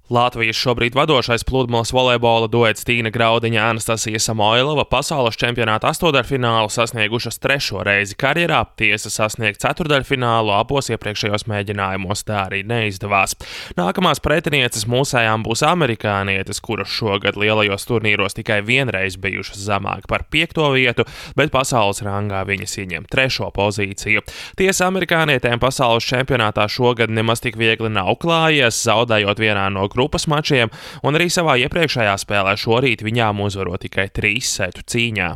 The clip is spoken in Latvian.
Latvijas šobrīd vadošais pludmales volejbola duets Tīna Graudiņa, Anastasija Samoilova pasaules čempionāta astotdaļfinālu sasniegušas 3. reizi karjerā, tiesa sasniegt ceturtdaļfinālu abos iepriekšējos mēģinājumos tā arī neizdevās. Nākamās pretinieces mūsējām būs amerikānietes, kuras šogad lielajos turnīros tikai vienreiz bijušas zemāk par 5. vietu, bet pasaules rangā viņas ieņem 3. pozīciju. Tiesa amerikānietēm pasaules čempionātā šogad nemaz tik viegli nav klājies, zaudējot vienā no grupas mačiem, un arī savā iepriekšējā spēlē šorīt viņām uzvarot tikai 3 setu cīņā.